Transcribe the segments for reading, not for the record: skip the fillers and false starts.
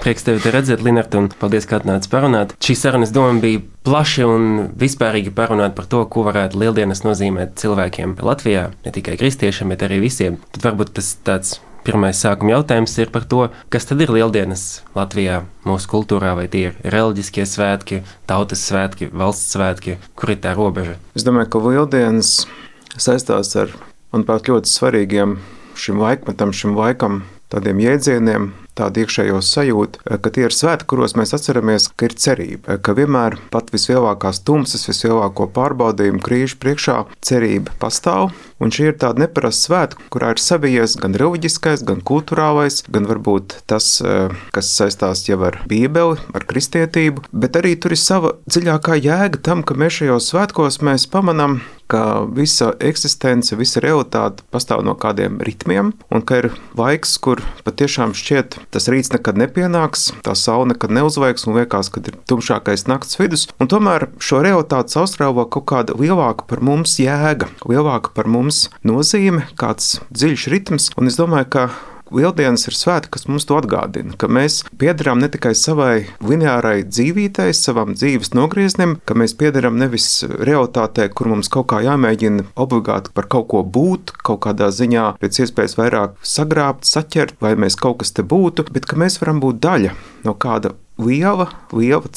prieks tevi te redzēt, Linarta, un paldies, ka atnāci parunāt. Šī sarunas doma bija plaši un vispārīgi parunāt par to, ko varētu lieldienas nozīmēt cilvēkiem Latvijā, ne tikai kristiešiem, bet arī visiem. Tad varbūt tas tāds pirmais sākuma jautājums ir par to, kas tad ir lieldienas Latvijā, mūsu kultūrā, vai tie ir reliģiskie svētki, tautas svētki, valsts svētki, kur ir tā robeža? Es domāju, ka lieldienas saistās ar, manuprāt, ļoti svarīgiem šim laikmetam, šim laikam, tādiem jēdzieniem, tādu iekšējo sajūtu, ka tie ir svētki, kuros mēs atceramies, ka ir cerība, ka vienmēr pat vislielākās tumsas, vislielāko pārbaudījumu krīžu priekšā cerība pastāv, un šī ir tāda neparasta svētka, kurā ir savijies gan reliģiskais, gan kulturālais, gan varbūt tas, kas saistās jau ar Bībeli, ar kristietību, bet arī tur ir sava dziļākā jēga tam, ka mēs šajos svētkos mēs pamanām, ka visa eksistence, visa realitāte pastāv no kādiem ritmiem, un ka ir laiks, kur patiešām šķiet, tas rīts nekad nepienāks, tā saule nekad neuzveiks, un liekas, ka ir tumšākais nakts vidus, un tomēr šo realitāti saustrāvo kaut kāda lielāka par mums jēga, lielāka par mums nozīme, kāds dziļš ritms, un es domāju, ka Lieldienas ir svēti, kas mums to atgādina, ka mēs piederam ne tikai savai lineārai dzīvītei, savam dzīves nogrieznim, ka mēs piederam nevis realitātei, kur mums kaut kā jāmēģina obligāti par kaut ko būt, kaut kādā ziņā pēc iespējas vairāk sagrābt, saķert, vai mēs kaut kas te būtu, bet ka mēs varam būt daļa no kāda liela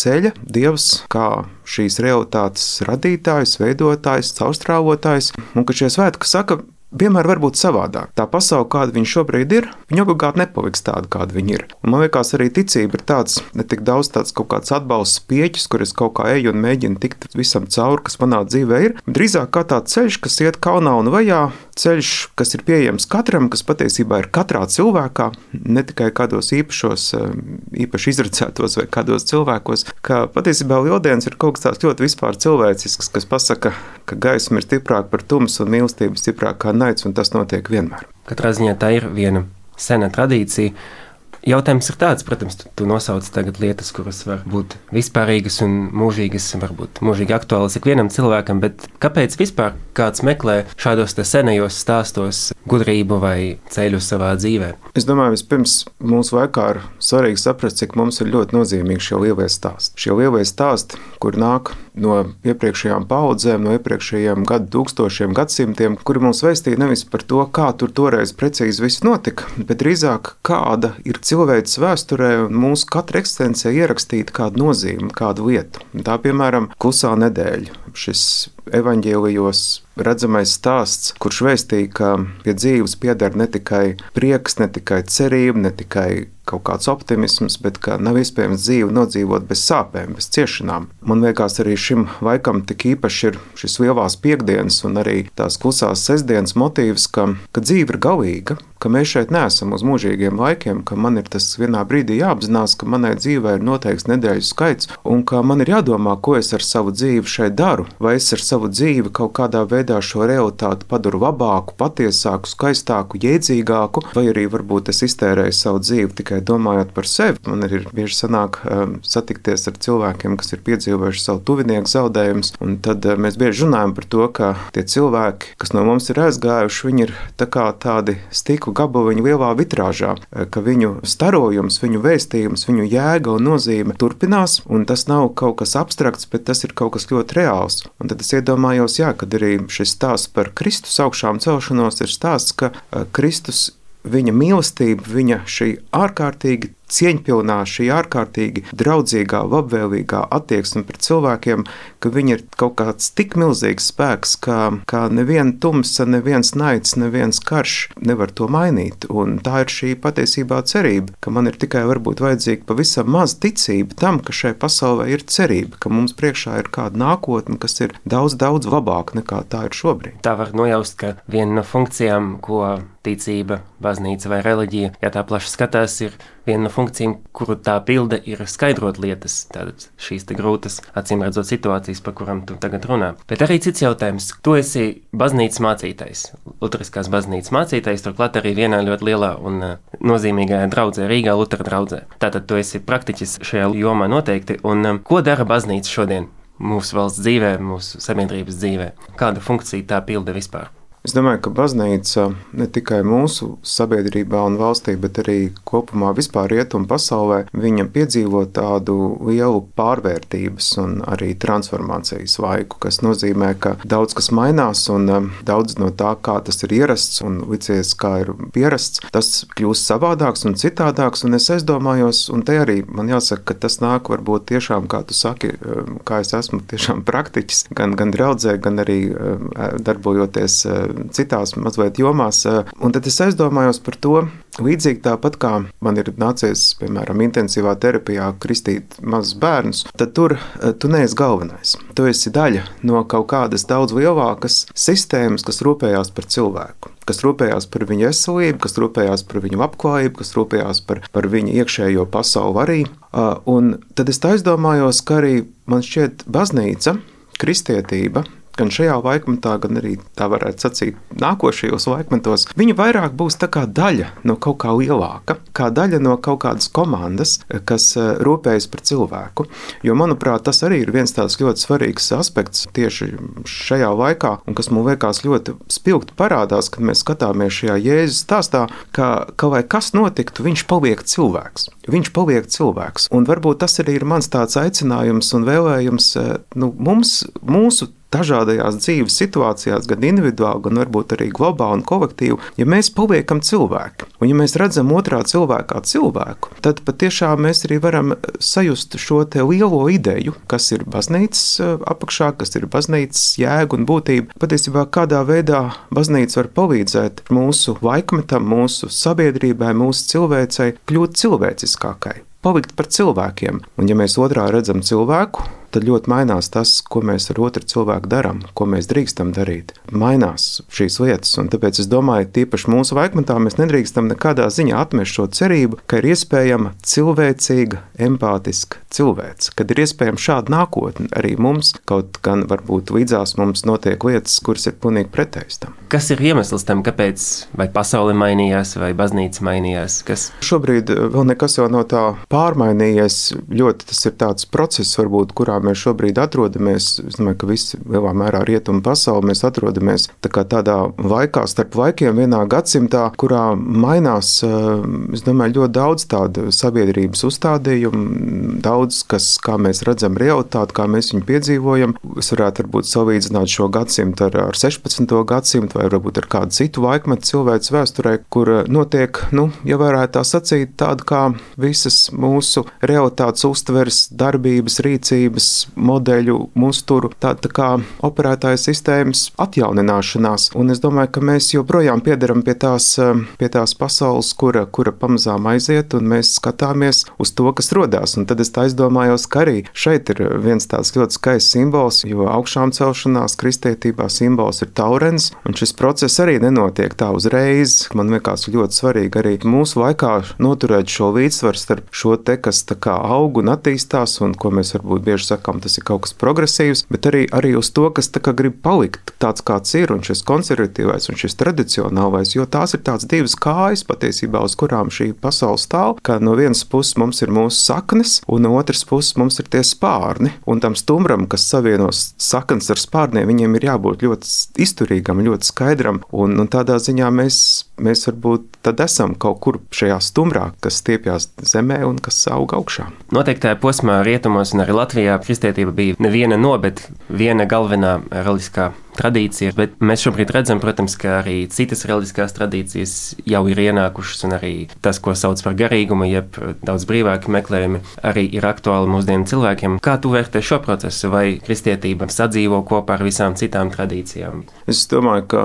ceļa, Dievs kā šīs realitātes radītājs, veidotājs, caurstrāvotājs, un ka šie svētki saka, vienmēr var būt savādāk. Tā pasaule, kāda viņa šobrīd ir, viņa obligāti nepaliks tāda, kāda viņa ir. Un man liekas, arī ticība ir tāds, ne tik daudz tāds kaut kāds atbalsts pieķis, kur es kaut kā eju un mēģinu tikt visam cauri, kas manā dzīvē ir. Drīzāk kā tāds ceļš, kas iet kalnā un vajā, ceļš, kas ir pieejams katram, kas patiesībā ir katrā cilvēkā, ne tikai kādos īpaši izredzētos vai kādos cilvēkos, ka patiesībā Lieldienas ir kaut kas tāds ļoti vispār cilvēcisks, kas pasaka, ka gaisma ir stiprāka par tumsu un mīlestība stiprāka kā naids, un tas notiek vienmēr. Katrā ziņā tā ir viena sena tradīcija. Jautājums ir tāds, protams, tu nosauc tagad lietas, kuras var būt vispārīgas un mūžīgas, varbūt mūžīgi aktuālas ikvienam cilvēkam, bet kāpēc vispār kāds meklē šādos te senajos stāstos gudrību vai ceļu savā dzīvē? Es domāju, vispirms mūsu laikā ir svarīgi saprast, cik mums ir ļoti nozīmīgi šie lielie stāsti. Šie lielie stāsti, kur nāk no iepriekšējām paudzēm, no iepriekšējiem tūkstošiem, gadsimtiem, kuri mums vēstīja nevis par to, kā tur toreiz precīzi viss notika, bet drīzāk kāda ir cilvēces vēsturē un mūsu katra eksistencē ierakstīta kāda nozīme, kādu lietu. Tā, piemēram, Klusā nedēļa. Šis evaņģēlijos redzamais stāsts, kurš vēstīja, ka pie dzīves pieder ne tikai prieks, ne tikai cerība, ne tikai kaut kāds optimisms, bet ka nav iespējams dzīvi nodzīvot bez sāpēm, bez ciešanām. Man liekas, arī šim laikam tik īpaši ir šis lielās piekdienas un arī tās klusās sestdienas motīvs, ka dzīve ir galīga, ka mēs šeit neesam uz mūžīgiem laikiem, ka man ir tas vienā brīdī jāapzinās, ka manai dzīvē ir noteikts nedēļu skaits un ka man ir jādomā, ko es ar savu dzīvi šeit daru, vai es ar savu dzīvi kaut kādā veidā šo realitāti padaru labāku, patiesāku, skaistāku, jēdzīgāku, vai arī varbūt es iztērēju savu dzīvi tikai domājot par sevi. Man ir bieži sanāk satikties ar cilvēkiem, kas ir piedzīvojuši savu tuvinieku zaudējumus, un tad mēs bieži runājam par to, ka tie cilvēki, kas no mums ir aizgājuši, viņi ir tā kā tādi stikla gabaliņi lielā vitrāžā, ka viņu starojums, viņu vēstījums, viņu jēga un nozīme turpinās, un tas nav kaut kas abstrakts, bet tas ir kaut kas ļoti reāls. Un tad es iedomājos, kad arī šis stāsts par Kristus augšām celšanos ir stāsts, ka Kristus, viņa mīlestība, viņa šī ārkārtīgi cieņpilnā, šī ārkārtīgi draudzīgā, labvēlīgā attieksme pret cilvēkiem, ka viņi ir kaut kāds tik milzīgs spēks, ka neviena tumsa, neviens naids, neviens karš nevar to mainīt. Un tā ir šī patiesībā cerība, ka man ir tikai varbūt vajadzīga pavisam maz ticība tam, ka šai pasaulē ir cerība, ka mums priekšā ir kāda nākotne, kas ir daudz, daudz labāka nekā tā ir šobrīd. Tā var nojaust, ka viena no funkcijām, ko ticība, baznīca vai reliģija, ja tā plaši skatās, ir viena no funkcijām, kuru tā pilda, ir skaidrot lietas, tātad šīs te grūtas, acīm redzot situācijas, par kurām tu tagad runā. Bet arī cits jautājums. Tu esi baznīcas mācītājs, luteriskās baznīcas mācītājs, turklāt arī vienā ļoti lielā un nozīmīgajā draudzē, Rīgā Lutera draudzē. Tātad tu esi praktiķis šajā jomā noteikti, un ko dara baznīca šodien mūsu valsts dzīvē, mūsu sabiedrības dzīvē? Kāda funkcija tā pilda vispār? Es domāju, ka baznīca ne tikai mūsu sabiedrībā un valstī, bet arī kopumā vispār rietumu pasaulē, viņa piedzīvo tādu lielu pārvērtības un arī transformācijas laiku, kas nozīmē, ka daudz kas mainās un daudz no tā, kā tas ir ierasts un licies, kā ir pierasts, tas kļūst savādāks un citādāks, un es aizdomājos, un te arī man jāsaka, ka tas nāk varbūt tiešām, kā tu saki, kā es esmu tiešām praktiķis, gan draudzē, gan arī darbojoties citās mazliet jomās. Un tad es aizdomājos par to, līdzīgi tāpat kā man ir nācies, piemēram, intensīvā terapijā kristīt mazus bērnus, tad tur tu neesi galvenais. Tu esi daļa no kaut kādas daudz lielākas sistēmas, kas rūpējās par cilvēku, kas rūpējās par viņu veselību, kas rūpējās par viņu labklājību, kas rūpējās par viņu iekšējo pasauli arī. Un tad es aizdomājos, ka arī man šķiet baznīca, kristietība, gan šajā laikmetā, gan arī tā varētu sacīt nākošajos laikmetos, viņa vairāk būs tā kā daļa no kaut kā lielāka, kā daļa no kaut kādas komandas, kas rūpējas par cilvēku. Jo, manuprāt, tas arī ir viens tāds ļoti svarīgs aspekts tieši šajā laikā, un kas man liekas ļoti spilgti parādās, kad mēs skatāmies šajā Jēzus stāstā, ka lai kas notiktu, viņš paliek cilvēks. Viņš paliek cilvēks. Un varbūt tas arī ir mans tāds aicinājums un vēlējums mums, mūsu dažādajās dzīves situācijās, gan individuāli, gan varbūt arī globāli un kolektīvi, ja mēs paliekam cilvēki, un ja mēs redzam otrā cilvēkā cilvēku, tad patiešām mēs arī varam sajust šo te lielo ideju, kas ir baznīcas apakšā, kas ir baznīcas jēga un būtība. Patiesībā kādā veidā baznīca var palīdzēt mūsu laikmetam, mūsu sabiedrībai, mūsu cilvēcei kļūt cilvēciskākai, palikt par cilvēkiem. Un ja mēs otrā redzam cilvēku, tad ļoti mainās tas, ko mēs ar otru cilvēku darām, ko mēs drīkstam darīt. Mainās šīs lietas, un tāpēc es domāju, tīpaši mūsu laikmetā mēs nedrīkstam nekādā ziņā atmest šo cerību, ka ir iespējama cilvēcīga, empātiska cilvēce, kad ir iespējama šāda nākotne arī mums, kaut gan varbūt līdzās mums notiek lietas, kuras ir pilnīgi pretējas tam. Kas ir iemesls tam, kāpēc vai pasaule mainījās, vai baznīca mainījās? Šobrīd vēl nekas jau no tā pārmainījies. Ļoti tas ir tāds process, varbūt, kurā mēs šobrīd atrodamies. Es domāju, ka visi lielā mērā rietumu pasauli mēs atrodamies tādā laikā starp laikiem vienā gadsimtā, kurā mainās, es domāju, ļoti daudz tādu sabiedrības uzstādījumu, daudz, kas, kā mēs redzam realitāti, kā mēs viņu piedzīvojam. Es varētu varbūt salīdzināt šo gadsimtu ar 16. gadsimtu vai varbūt ar kādu citu laikmetu cilvēces vēsturē, kur notiek, ja varētu tā sacīt, tāda kā visas mūsu realitātes uztveres, darbības, rīcības, modeļu, uzturu, tāda kā operētāja sistēmas atjaunināšanās. Un es domāju, ka mēs joprojām piederam pie tās pasaules, kura pamazām aiziet, un mēs skatāmies uz to, kas rodās. Un tad es tā aizdomājos, ka arī šeit ir viens tāds ļoti skaists simbols, jo augšām celšanās kristietībā simbols ir taurens, un šis process arī nenotiek tā uzreiz. Man liekas ļoti svarīgi arī mūsu laikā noturēt šo līdzsvaru starp šo te, kas tā kā aug un attīstās, un ko mēs varbūt bieži sakām, tas ir kaut kas progresīvs, bet arī uz to, kas tā kā grib palikt tāds, kāds ir, un šis konservatīvais un šis tradicionālais, jo tās ir tāds divas kājas patiesībā, uz kurām šī pasaule stāv, ka no vienas puses mums ir mūsu saknes, un no otras puses mums ir tie spārni, un tam stumbram, kas savienos saknes ar spārniem, viņiem ir jābūt ļoti izturīgam, ļoti skaidram, un tādā ziņā mēs varbūt tad esam kaut kur šajā stumbrā, kas stiepjās zemē un kas aug augšā. Noteiktajā posmā rietumos un arī Latvijā kristietība bija neviena bet viena galvenā reliģiskā tradīcija, bet mēs šobrīd redzam, protams, ka arī citas reliģiskās tradīcijas jau ir ienākušas, un arī tas, ko sauc par garīgumu, jeb daudz brīvāki meklējumi, arī ir aktuāli mūsdienu cilvēkiem. Kā tu vērtē šo procesu, vai kristietība sadzīvo kopā ar visām citām tradīcijām? Es domāju, ka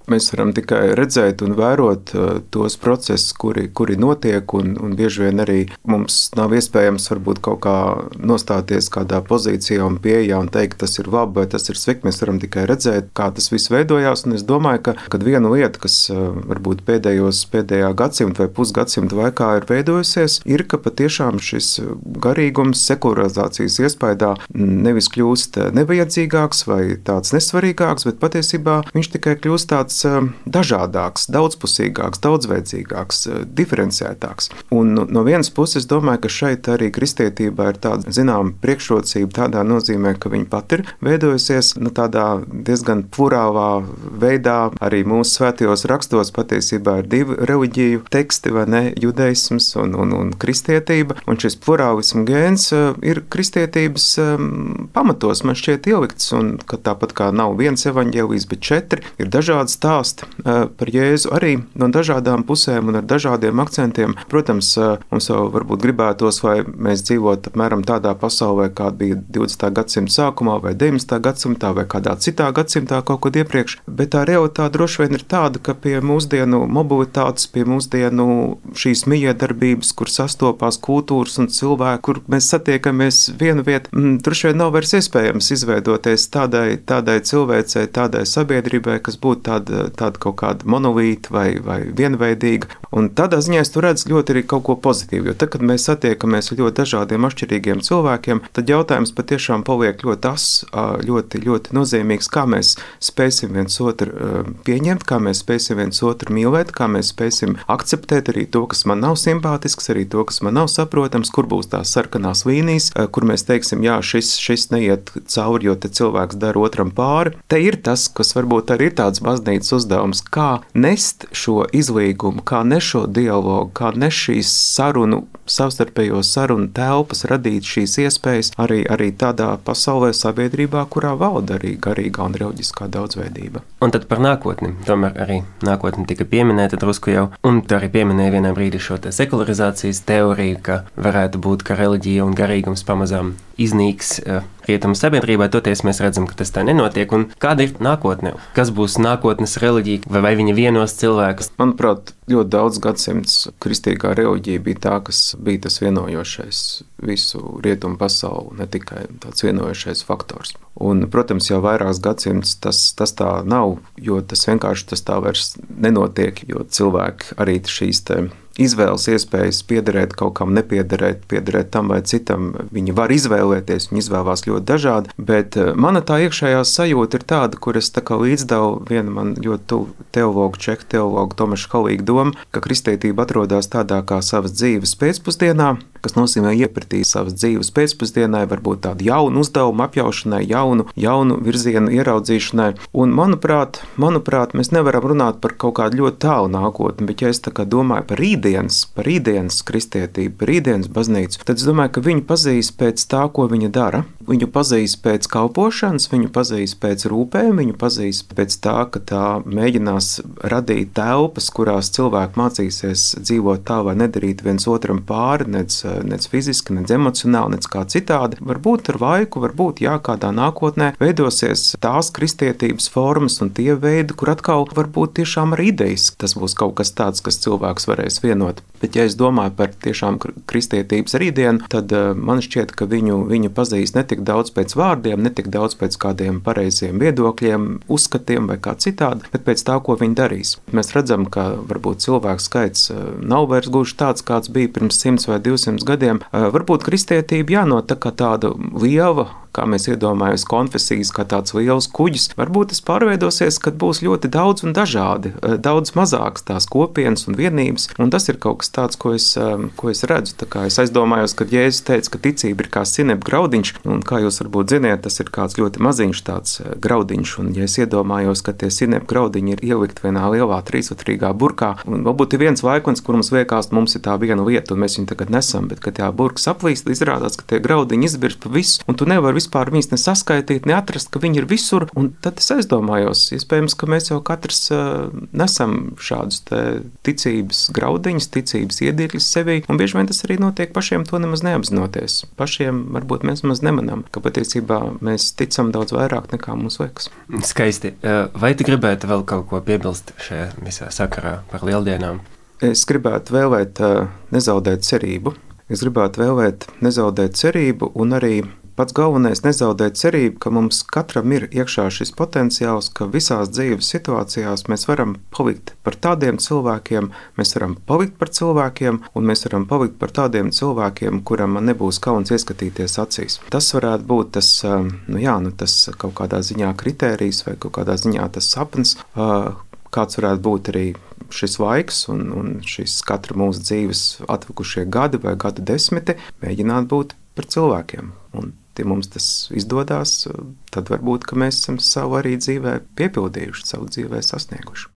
mēs varam tikai redzēt un vērot tos procesus, kuri notiek, un bieži vien arī mums nav iespējams varbūt kaut kā nostāties kādā pozīcijā un pieejā un teikt, tas ir labi vai tas ir slikti. Mēs varam tikai redzēt, kā tas viss veidojās, un es domāju, ka viena lieta, kas varbūt pēdējā gadsimta vai pusgadsimta laikā ir veidojusies, ir, ka patiešām šis garīgums sekularizācijas iespaidā nevis kļūst nevajadzīgāks vai tāds nesvarīgāks, bet patiesībā viņš tikai kļūst tāds dažādāks, daudzpusīgāks, daudzveidzīgāks, diferenciētāks. Un no vienas puses domāju, ka šeit arī kristietībā ir tāda zināma priekšrocība tādā nozīmē, ka viņa pat ir veidojusies tādā diezgan plurālā veidā. Arī mūsu svētajos rakstos patiesībā ir divi reliģiju teksti, vai ne, judaisms un kristietība. Un šis plurālismu gēns ir kristietības pamatos, man šķiet, ielikts. Un ka tāpat kā nav viens evaņģēlijs, bet 4, ir dažādi stāsti par Jēzu arī no dažādām pusēm un ar dažādiem akcentiem. Protams, mums jau varbūt gribētos, vai mēs dzīvotu apmēram tādā pasaulē, kāda bija 20. gadsimta sākumā vai 19. gadsimtā vai kādā citā gadsimtā kaut kad iepriekš, bet tā realitāte droši vien ir tāda, ka pie mūsdienu mobilitātes, pie mūsdienu šīs mijiedarbības, kur sastopās kultūras un cilvēki, kur mēs satiekamies vienu vietu, droši vien nav vairs iespējams izveidoties tādai cilvēcei, tādai sabiedrībai, kas būtu tāda kaut kāda monolīta vai vienveidīga. Un tādā ziņā es tur redzu ļoti arī kaut ko pozitīvu, jo tad, kad mēs satiekamies ar ļoti dažādiem atšķirīgiem cilvēkiem, tad jautājums patiešām paliek ļoti, ļoti nozīmīgs, kā mēs spēsim viens otru pieņemt, kā mēs spēsim viens otru mīlēt, kā mēs spēsim akceptēt arī to, kas man nav simpātisks, arī to, kas man nav saprotams, kur būs tās sarkanās līnijas, kur mēs teiksim, jā, šis neiet cauri, jo te cilvēks dara otram pāri. Te ir tas, kas varbūt arī ir tāds baznīcas uzdevums, kā nest šo izlīgumu, kā nest šo dialogu, kā nest šīs savstarpējo sarunu telpas, radīt šīs iespējas arī tādā pasaulē, sabiedrībā, kurā valda arī garīgā un reliģiskā daudzveidība. Un tad par nākotni. Tomēr arī nākotne tika pieminēta drusku jau, un tu arī pieminēji vienā brīdī šo sekularizācijas teoriju, ka varētu būt, ka reliģija un garīgums pamazām iznīks rietumu sabiedrībā. Toties mēs redzam, ka tas tā nenotiek. Un kāda ir nākotne? Kas būs nākotnes reliģija? Vai viņa vienos cilvēkus? Manuprāt, ļoti daudz gadsimts kristīgā reliģija bija tā, kas bija tas vienojošais visu rietumu pasauli, ne tikai tāds vienojošais faktors. Un, protams, jau vairākus gadsimtus tas tā nav, jo tas vienkārši tā vairs nenotiek, jo cilvēki arī šīs izvēles iespējas piederēt kaut kam, piederēt tam vai citam. Viņi var izvēlēties, viņi izvēlās ļoti dažādi, bet mana tā iekšējā sajūta ir tāda, kur es tā kā līdzdevu viena man ļoti tuvu teologu, čehu teologu Tomaša Halīga doma, ka kristietība atrodas tādā kā savas dzīves pēcpusdienā, kas nozīmē iepratīt savas dzīves pēcpusdienai, varbūt tādu jaunu uzdevumu apjaušanai, jaunu virzienu ieraudzīšanai. Un, manuprāt, mēs nevaram runāt par kaut kādu ļoti tālu nākotni, bet ja es tā kā domāju par rītdienas kristietību, par rītdienas baznīcu, tad es domāju, ka viņu pazīs pēc tā, ko viņa dara. Viņu pazīs pēc kalpošanas, viņu pazīs pēc rūpēm, viņu pazīs pēc tā, ka tā mēģinās radīt telpas, kurās cilvēki mācīsies dzīvot tā, vai nedarīt viens otram pāri, nec fiziski, nec emocionāli, nec kā citādi. Varbūt ar laiku, varbūt kādā nākotnē veidosies tās kristietības formas un tie veidi, kur atkal varbūt tiešām ar idejas. Tas būs kaut kas tāds, kas cilvēks varēs vienot. Bet ja es domāju par tiešām kristietības rītdienu, tad man šķiet, ka viņu pazīs ne tik daudz pēc vārdiem, ne tik daudz pēc kādiem pareiziem viedokļiem, uzskatiem vai kā citādi, bet pēc tā, ko viņi darīs. Mēs redzam, ka varbūt cilvēku skaits nav vairs gluži tāds, kāds bija pirms 100 vai 200 gadiem. Varbūt kristietība jānot tā kā tāda liela, kā mēs iedomājamies konfesijas, kā tāds liels kuģis. Varbūt tas pārveidosies, kad būs ļoti daudz un dažādi, daudz mazāks tās kopienas un vienības, un tas ir kaut kas tāds, ko es redzu. Tā kā es aizdomājos, kad Jēzus teica, ka ticība ir kā sinep graudiņš, un kā jūs varbūt ziniet, tas ir kāds ļoti maziņš tāds graudiņš, un ja es iedomājos, ka tie sinep graudiņi ir ielikt vienā lielā trīsvatrīgā burkā, un varbūt ir viens laikons, kur mums liekas, mums ir tā viena lieta, un mēs viņu tagad nesam, bet kad tā burka saplīst, izrādās, ka tie graudiņi izbirst pa visu, un tu nevari vispār viņus nesaskaitīt, neatrast, ka viņi ir visur, un tad es aizdomājos, iespējams, ka mēs jau katrs nesam šādus ticības graudiņus, ticības iedīkļus sevī, un bieži vien tas arī notiek pašiem to nemaz neapzinoties. Pašiem varbūt mēs maz nemanām, ka patiesībā mēs ticam daudz vairāk nekā mums liekas. Skaisti. Vai tu gribētu vēl kaut ko piebilst šajā visā sakarā par lieldienām? Es gribētu vēlēt nezaudēt cerību. Es gribētu vēlēt nezaudēt cerību un arī pats galvenais nezaudēt cerību, ka mums katram ir iekšā šis potenciāls, ka visās dzīves situācijās mēs varam palikt par tādiem cilvēkiem, mēs varam palikt par cilvēkiem, un mēs varam palikt par tādiem cilvēkiem, kuram nebūs kauns ieskatīties acīs. Tas varētu būt tas kaut kādā ziņā kritērijs vai kaut kādā ziņā tas sapnis, kāds varētu būt arī šis laiks un šis katra mūsu dzīves atlikušie gadi vai gadu desmiti, mēģināt būt par cilvēkiem. Un, ja mums tas izdodas, tad varbūt, ka mēs esam savu arī dzīvē piepildījuši, savu dzīvē sasnieguši.